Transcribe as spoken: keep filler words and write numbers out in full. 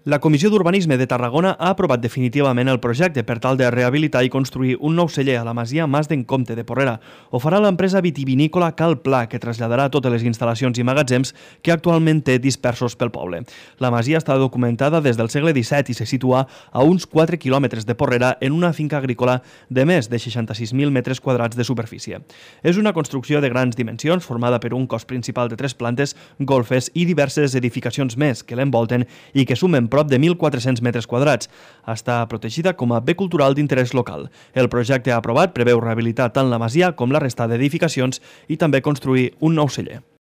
La Comissió d'Urbanisme de Tarragona ha aprovat definitivament el projecte per tal de rehabilitar i construir un nou celler a la masia Mas d'en Comte de Porrera. Ho farà l'empresa vitivinícola Cal Pla, que traslladarà totes les instal·lacions i magatzems que actualment té dispersos pel poble. La masia està documentada des del segle disset i se situa a uns quatre quilòmetres de Porrera en una finca agrícola de més de seixanta-sis mil metres quadrats de superfície. És una construcció de grans dimensions formada per un cos principal de tres plantes, golfes i diverses edificacions més que l'envolten i que sumen prop de mil quatre-cents metres quadrats. Està protegida com a bé cultural d'interès local. El projecte aprovat preveu rehabilitar tant la masia com la resta d'edificacions i també construir un nou celler.